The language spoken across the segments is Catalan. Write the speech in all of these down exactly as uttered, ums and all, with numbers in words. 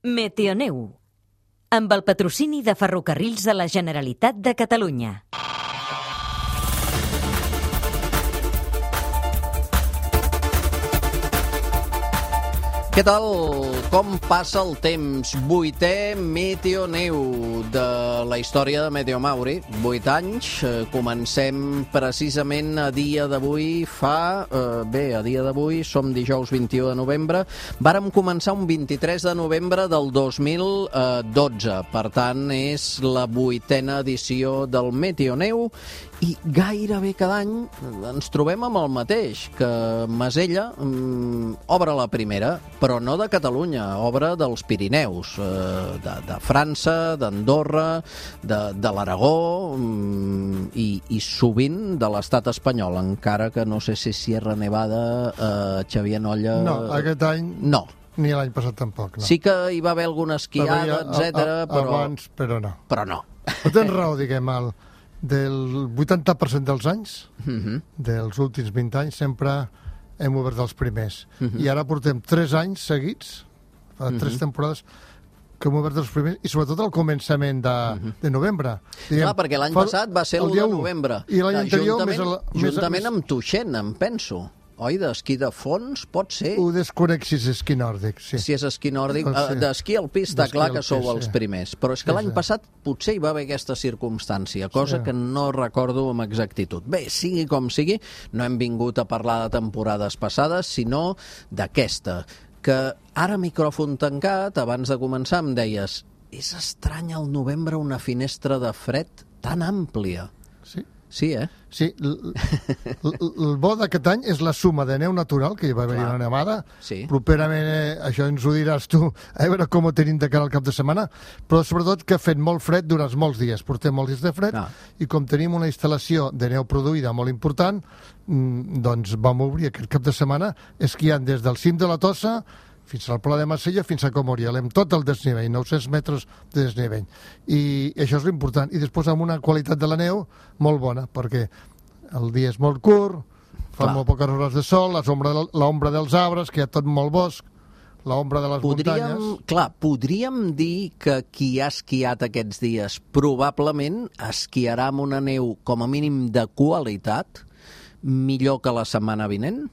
Meteoneu, amb el patrocini de Ferrocarrils de la Generalitat de Catalunya. Què tal? Com passa el temps? Vuitè Meteoneu de la història de Meteomauri. Vuit anys. Comencem precisament a dia d'avui. Fa... Eh, bé, a dia d'avui som dijous vint-i-u de novembre. Vàrem començar un vint-i-tres de novembre del dos mil dotze. Per tant, és la vuitena edició del Meteoneu. I gairebé cada any ens trobem amb el mateix, que Masella mm, obre la primera, però no de Catalunya, obre dels Pirineus, eh, de, de França, d'Andorra, de, de l'Aragó mm, i, i sovint de l'estat espanyol, encara que no sé si Sierra Nevada, eh, Xavier Nolla... No, aquest any... No. Ni l'any passat tampoc, no. Sí que hi va haver alguna esquiada, etcètera, però... Abans, però no. Però no. No tens raó, diguem, el... del vuitanta per cent dels anys, uh-huh. dels últims vint anys, sempre hem obert els primers. Uh-huh. I ara portem tres anys seguits, fa uh-huh. tres temporades, que hem obert els primers, i sobretot al començament de, uh-huh. de novembre. Diguem, clar, perquè l'any passat va ser el de novembre. I l'any anterior... Juntament, més el, juntament més, amb Tuixent, em penso. Oi, d'esquí de fons, pot ser? Ho desconec si és esquí nòrdic, sí. Si és esquí nòrdic, sí. d'esquí alpí està clar que sou els primers, però és que sí, l'any sí. passat potser hi va haver aquesta circumstància, cosa sí. que no recordo amb exactitud. Bé, sigui com sigui, no hem vingut a parlar de temporades passades, sinó d'aquesta, que ara micròfon tancat, abans de començar em deies, és estrany al novembre una finestra de fred tan àmplia. Sí. Sí, eh? Sí, el bo d'aquest any és la suma de neu natural, que hi va haver-hi una nevada. Sí. Properament, eh, això ens ho diràs tu, a veure com ho tenim de cara al cap de setmana, però sobretot que ha fet molt fred durant molts dies. Portem molts dies de fred, ah. i com tenim una instal·lació de neu produïda molt important, doncs vam obrir aquest cap de setmana esquiant des del cim de la Tossa fins al Pla de Masella, fins a Comoriel, amb tot el desnivell, nou-cents metres de desnivell. I això és l'important. I després amb una qualitat de la neu molt bona, perquè el dia és molt curt, fa Clar. molt poques hores de sol, l'ombra dels arbres, que hi ha tot molt bosc, l'ombra de les podríem, muntanyes... Clar, podríem dir que qui ha esquiat aquests dies probablement esquiarà amb una neu com a mínim de qualitat, millor que la setmana vinent?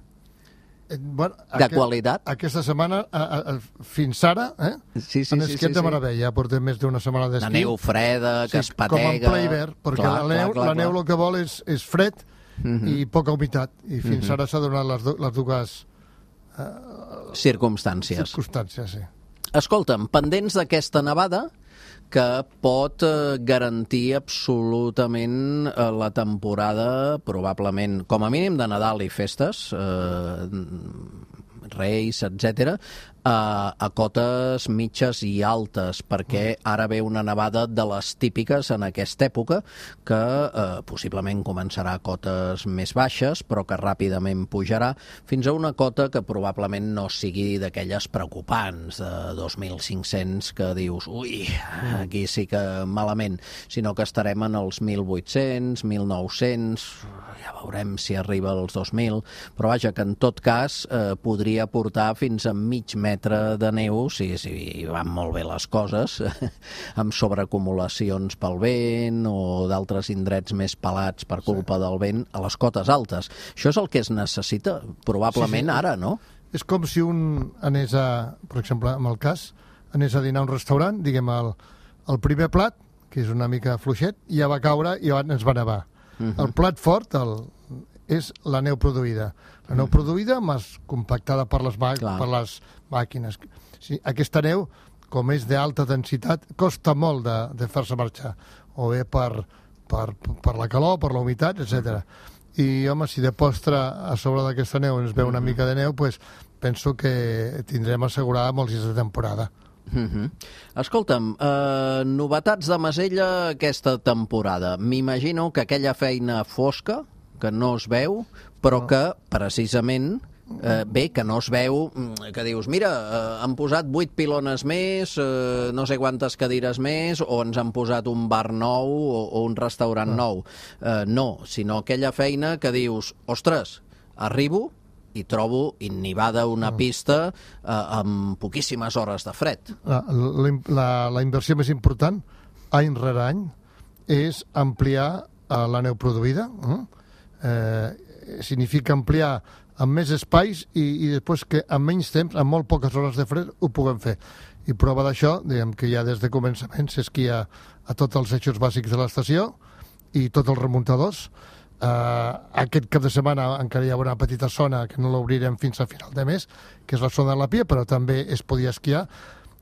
Bueno, de aquest, qualitat? Aquesta setmana, a, a, fins ara, eh? Sí, sí, en sí, esquiat sí, de sí. meravella, portem més d'una setmana d'esquí. La neu freda, que sí, es patega... Com en ple hivern, perquè clar, la neu, clar, clar, la neu clar. el que vol és, és fred uh-huh. i poca humitat, i fins uh-huh. ara s'ha donat les, les dues... Uh, circumstàncies. Circumstàncies, sí. Escolta'm, pendents d'aquesta nevada, que pot eh, garantir absolutament eh, la temporada, probablement, com a mínim de Nadal i festes, eh, Reis, etcètera, a, a cotes mitges i altes, perquè ara ve una nevada de les típiques en aquesta època, que eh, possiblement començarà a cotes més baixes, però que ràpidament pujarà fins a una cota que probablement no sigui d'aquelles preocupants, de dos mil cinc-cents, que dius, ui, aquí sí que malament, sinó que estarem en els mil vuit-cents, mil nou-cents, ja veurem si arriba als dos mil, però vaja, que en tot cas eh, podria portar fins a mig metre de neu, si, si van molt bé les coses, amb sobreacumulacions pel vent o d'altres indrets més pelats per culpa sí. del vent a les cotes altes. Això és el que es necessita, probablement sí, sí. ara, no? És com si un anés a, per exemple, en el cas, anés a dinar a un restaurant, diguem, el, el primer plat, que és una mica fluixet, ja va caure i ens va nevar. Uh-huh. El plat fort el, és la neu produïda. La neu uh-huh. produïda, més compactada per les, mà, per les màquines. Sí, aquesta neu, com és d'alta densitat, costa molt de, de fer-se marxar, o bé per, per, per la calor, per la humitat, etcètera. I, home, si de postre a sobre d'aquesta neu ens ve una uh-huh. mica de neu, pues, penso que tindrem assegurada molts dies de temporada. Uh-huh. Escolta'm, eh, novetats de Masella aquesta temporada. M'imagino que aquella feina fosca, que no es veu, però no. que, precisament, eh, bé, que no es veu, que dius, mira, eh, han posat vuit pilones més, eh, no sé quantes cadires més, o ens han posat un bar nou o, o un restaurant no. nou. Eh, no, sinó aquella feina que dius, ostres, arribo, i trobo innivada una pista eh, amb poquíssimes hores de fred. La, la, la inversió més important, any rere any, és ampliar eh, la neu produïda. Eh? Eh, significa ampliar amb més espais i, i després que en menys temps, amb molt poques hores de fred, ho puguem fer. I prova d'això, diguem que ja des de començament s'esquia a tots els eixos bàsics de l'estació i tots els remuntadors. Uh, aquest cap de setmana encara hi ha una petita zona que no l'obrirem fins a final de mes, que és la zona de la Pia, però també es podia esquiar.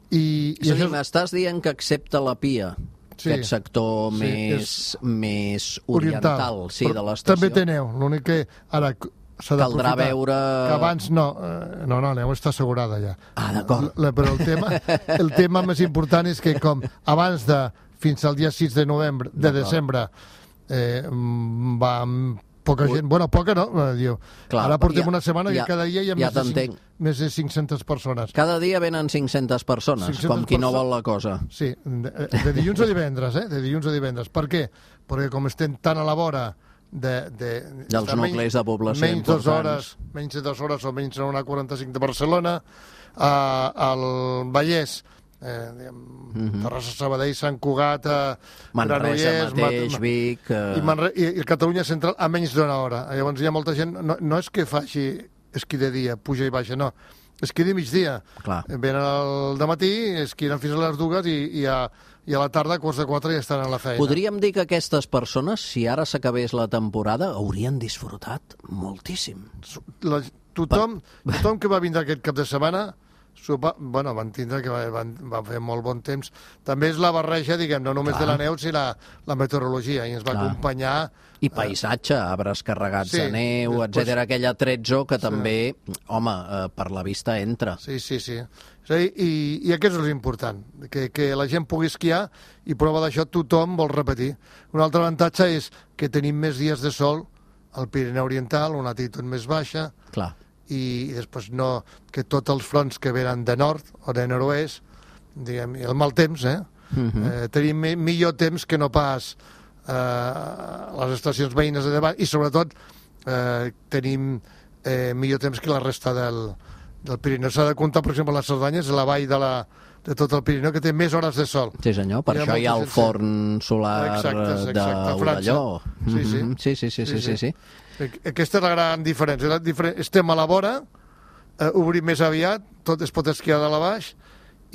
I, és a dir, m'estàs dient que excepte la Pia, sí, aquest sector sí, més, més oriental, oriental sí, de l'estació... També té neu, l'únic que ara... Caldrà veure... Que abans no, no, no, neu està assegurada ja. Ah, d'acord. Però el tema, el tema més important és que com abans de, fins al dia sis de novembre, de desembre, eh, va amb poca gent, bueno, poca no, diu. Clar, ara portem ja, una setmana ja, que cada dia hi ha ja més, de cinc, més de cinc-centes persones. Cada dia venen cinc-centes persones, cinc-centes com qui no vol la cosa. Sí, de, de dilluns a divendres, eh? De dilluns a divendres. Per què? Perquè com estem tan a la vora de, de, dels nuclis menys, de població menys importants. Dos hores, menys de dues hores o menys de una quaranta-cinc de Barcelona, uh, al Vallès, eh, diguem, uh-huh. Terrassa, Sabadell, Sant Cugat, Manresa mateix, Mat Vic... Uh... I, Manre i, I Catalunya Central a menys d'una hora. Llavors hi ha molta gent... No, no és que faci esquí de dia, puja i baixa, no. Esquí de migdia. Clar. Venen al dematí, esquien fins a les dues i, i a... i a la tarda, a quarts de quatre, ja estan a la feina. Podríem dir que aquestes persones, si ara s'acabés la temporada, haurien disfrutat moltíssim. La, tothom, tothom que va vindre aquest cap de setmana, sopa, bueno, van tindre que van, van fer molt bon temps. També és la barreja, diguem, no només Clar. de la neu, sinó la, la meteorologia, i ens va Clar. acompanyar... I paisatge, arbres carregats sí, de neu, després... etcètera, aquell atrezzo que sí. també, home, eh, per la vista entra. Sí, sí, sí. sí i, I aquest és l'important, que, que la gent pugui esquiar i prova d'això tothom vol repetir. Un altre avantatge és que tenim més dies de sol al Pirineu Oriental, una altitud més baixa, Clar. I, i després no, que tots els fronts que venen de nord o de nord-oest, diguem, el mal temps, eh? Uh-huh. eh tenim millor temps que no pas eh, les estacions veïnes de davant i sobretot eh, tenim eh, millor temps que la resta del, del Pirineu. S'ha de comptar, per exemple, la Cerdanya és la vall de, la, de tot el Pirineu que té més hores de sol. Sí senyor, per hi això hi ha el forn solar d'Orelló. Sí, sí. Mm-hmm. sí, sí, sí, sí, sí, sí. Aquesta és la gran diferència. La diferència. Estem a la vora, eh, obrim més aviat, tot es pot esquiar de la baix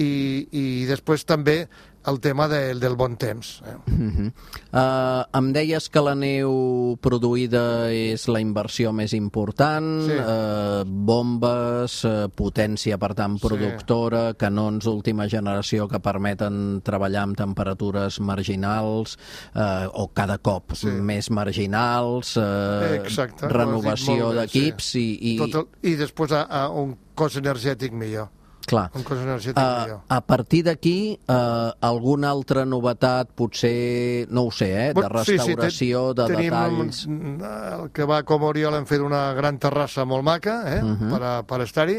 i, i després també el tema del, del bon temps. Eh? Uh-huh. uh, em deies que la neu produïda és la inversió més important, sí. uh, bombes, uh, potència, per tant, productora, sí. canons d'última generació que permeten treballar amb temperatures marginals, uh, o cada cop sí. més marginals, uh, Exacte, renovació d'equips sí. i, i... Tot el, i després a, a un cos energètic millor. Clar. Un cos energètic uh, millor. A partir d'aquí, uh, alguna altra novetat, potser, no ho sé, eh, de restauració, sí, sí, de tenim detalls... Un, el que va com Oriol hem fet una gran terrassa molt maca, eh, uh-huh. per, a, per estar-hi.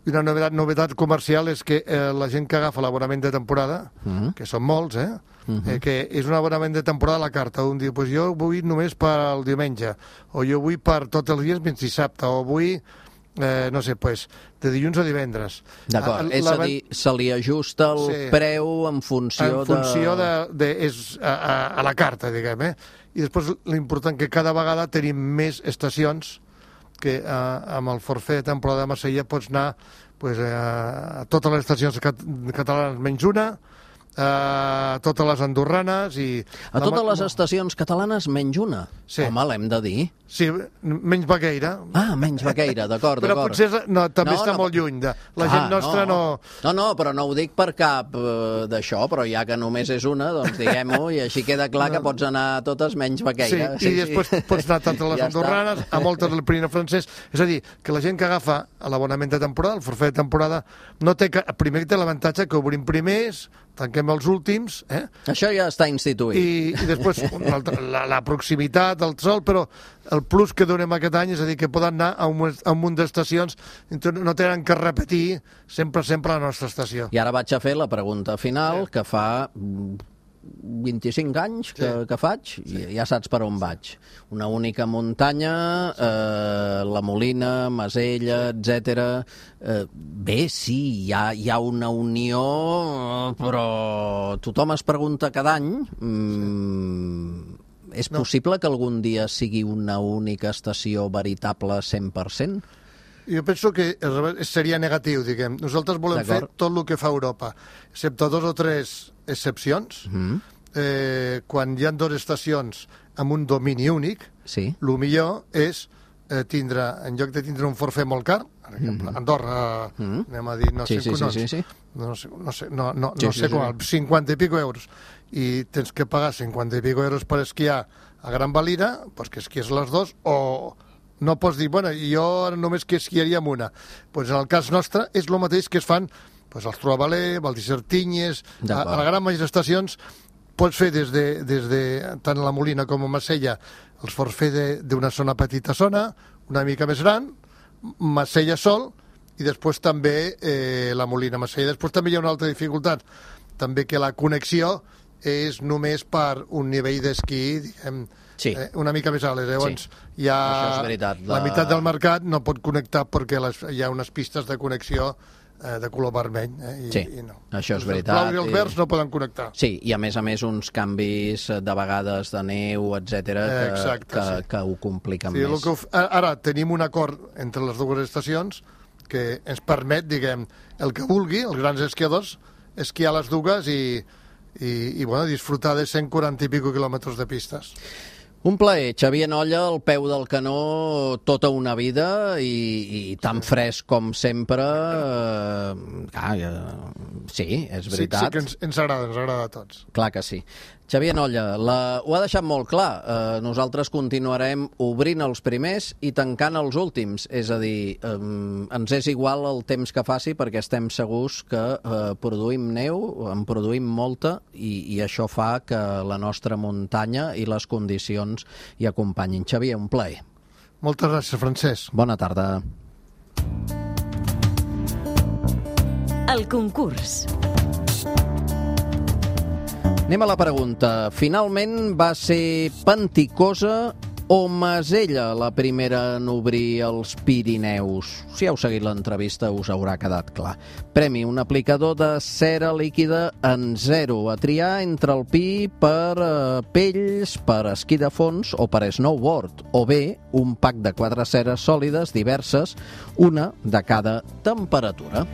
I una novetat, novetat comercial és que eh, la gent que agafa l'abonament de temporada, uh-huh. que són molts, eh, uh-huh. eh, que és un abonament de temporada a la carta. Un diu, pues jo vull només per al diumenge, o jo vull per tots els dies menys dissabte, o vull... Eh, no sé, pues, de dilluns a divendres. D'acord, és a dir, se li ajusta el sí. preu en funció de... En funció de... de, de és a, a, a la carta, diguem, eh? I després l'important que cada vegada tenim més estacions que eh, amb el forfait de temporada de Marsella pots anar pues, eh, a totes les estacions cat catalanes menys una, a totes les andorranes i... A totes les estacions catalanes menys una? Sí. Home, l'hem de dir. Sí, menys Baqueira. Ah, menys Baqueira, d'acord, d'acord. Però potser no, també no, està no, molt lluny. De, la ah, gent nostra no... no... No, no, però no ho dic per cap uh, d'això, però ja que només és una, doncs diguem-ho, i així queda clar no. que pots anar a totes menys Baqueira. Sí, sí i després sí. pots anar a totes les ja andorranes, està. A moltes del Pirineu francès. És a dir, que la gent que agafa l'abonament de temporada, el forfait de temporada, no té que... primer té l'avantatge que obrim primers, tanquem els últims... Eh? Això ja està instituït. I, i després altre, la, la proximitat, el sol, però el plus que donem aquest any és a dir que poden anar a un, a un munt d'estacions, no tenen que repetir sempre, sempre la nostra estació. I ara vaig a fer la pregunta final, sí. que fa vint-i-cinc anys que, Sí. que faig, Sí. i ja saps per on vaig. Una única muntanya, eh, la Molina, Masella, etcètera. Eh, bé, sí, hi ha, hi ha una unió, però tothom es pregunta cada any... Mm, és No. possible que algun dia sigui una única estació veritable cent per cent? Jo penso que al revés, seria negatiu, diguem. Nosaltres volem fer D'acord. tot el que fa Europa, excepte dos o tres excepcions. Mm. Eh, quan hi ha dues estacions amb un domini únic, Sí. el millor és eh, tindre, en lloc de tindre un forfait molt car, per exemple, Mhm. Andorra, Mhm. anem a dir, no Sí, sé, sí, sí, collons, sí, sí. no sé, no sé, no, no, Sí, no sí, sé sí. qual, cinquanta i pico euros, i tens que pagar cinquanta i pico euros per esquiar a Gran Valira, pues que esquies les dos, o no pots dir, bueno, jo ara només que esquiaria amb una. Pues en el cas nostre és el mateix que es fan pues, als Troavaler, Val d'Isertinyes, a, D'acord. a la gran majoria d'estacions pots fer des de, des de tant a la Molina com a Marsella els forfait d'una zona petita zona, una mica més gran, Marsella sol, i després també eh, la Molina Marsella. Després també hi ha una altra dificultat, també que la connexió és només per un nivell d'esquí, diguem, Sí. eh, una mica més alt. Llavors, Sí. hi ha Això és veritat. la... La- meitat del mercat no pot connectar perquè les, hi ha unes pistes de connexió eh, de color vermell. Eh, i, Sí, i no. això és Els veritat, blaus i els i- verds no poden connectar. Sí, i a més a més uns canvis eh, de vegades de neu, etcètera, que, Exacte, que, sí. que ho compliquen Sí, el més. que ho f- ara tenim un acord entre les dues estacions que ens permet, diguem, el que vulgui, els grans esquiadors, esquiar les dues i, i, i bueno, disfrutar de cent quaranta i pico quilòmetres de pistes. Un plaer, Xavier Nolla, al peu del canó tota una vida i, i tan fresc com sempre. Eh, ah, eh, sí, és veritat. Sí, sí que ens, ens agrada, ens agrada a tots. Clar que sí. Xavier Nolla, la... ho ha deixat molt clar. Eh, nosaltres continuarem obrint els primers i tancant els últims. És a dir, eh, ens és igual el temps que faci perquè estem segurs que eh, produïm neu, en produïm molta i, i això fa que la nostra muntanya i les condicions hi acompanyin. Xavier, un plaer. Moltes gràcies, Francesc. Bona tarda. El concurs. Anem a la pregunta. Finalment va ser Panticosa o Masella la primera en obrir els Pirineus? Si heu seguit l'entrevista us haurà quedat clar. Premi, un aplicador de cera líquida en zero a triar entre el pi per eh, pells, per esquí de fons o per snowboard, o bé un pack de quatre ceres sòlides diverses, una de cada temperatura.